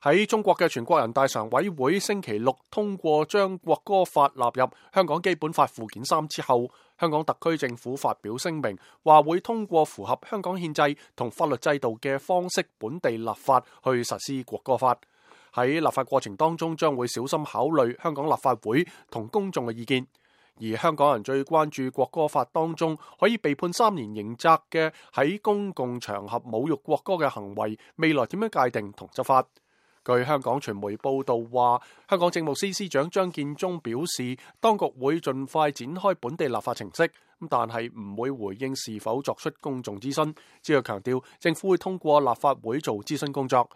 喺中國嘅全國人大常委會星期六通過將國歌法納入香港基本法附件3之後，香港特區政府發表聲明，話會通過符合香港憲制同法律制度嘅方式本地立法去實施國歌法。喺立法過程當中，將會小心考慮香港立法會同公眾嘅意見。而香港人最關注國歌法當中可以被判3年刑責嘅喺公共場合侮辱國歌嘅行為，未來點樣界定同執法？據香港傳媒報道話，香港政務司司長張建宗表示，當局會盡快展開本地立法程式，但係唔會回應是否作出公眾諮詢，只係強調政府會通過立法會做諮詢工作。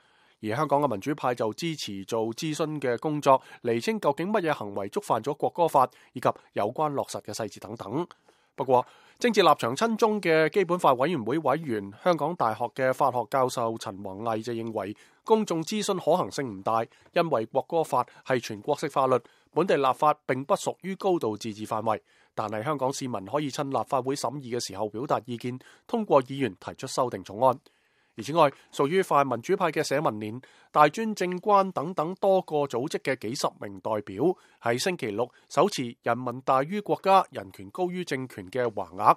而香港嘅民主派就支持做諮詢嘅工作，釐清究竟乜嘢行為觸犯咗國歌法，以及有關落實嘅細節等等。不過，政治立場親中嘅基本法委員會委員、香港大學嘅法學教授陳弘毅就認為，公眾諮詢可行性唔大，因為國歌法係全國性法律，本地立法並不屬於高度自治範圍。但係香港市民可以趁立法會審議嘅時候表達意見，通過議員提出修訂草案。而此外，屬於泛民主派嘅社民連、大專政關等等多個組織嘅幾十名代表，喺星期六手持人民大於國家、人權高於政權嘅橫額，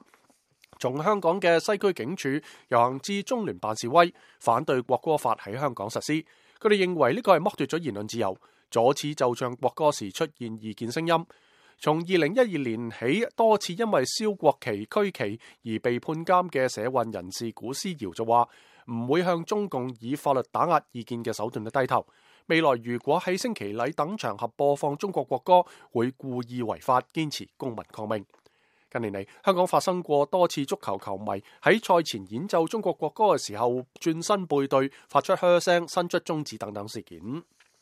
從香港嘅西區警署遊行至中聯辦示威，反對國歌法喺香港實施。佢哋認為呢個係剝奪咗言論自由，阻止奏唱國歌時出現異見聲音。從2012年起，多次因為燒國旗、區旗而被判監嘅社運人士古思堯就話，唔會向中共以法律打壓意見嘅手段去低頭。未來如果喺升旗禮等場合播放中國國歌，會故意違法，堅持公民抗命。近年嚟，香港發生過多次足球球迷喺賽前演奏中國國歌嘅時候轉身背對、發出噓聲、伸出中指等等事件。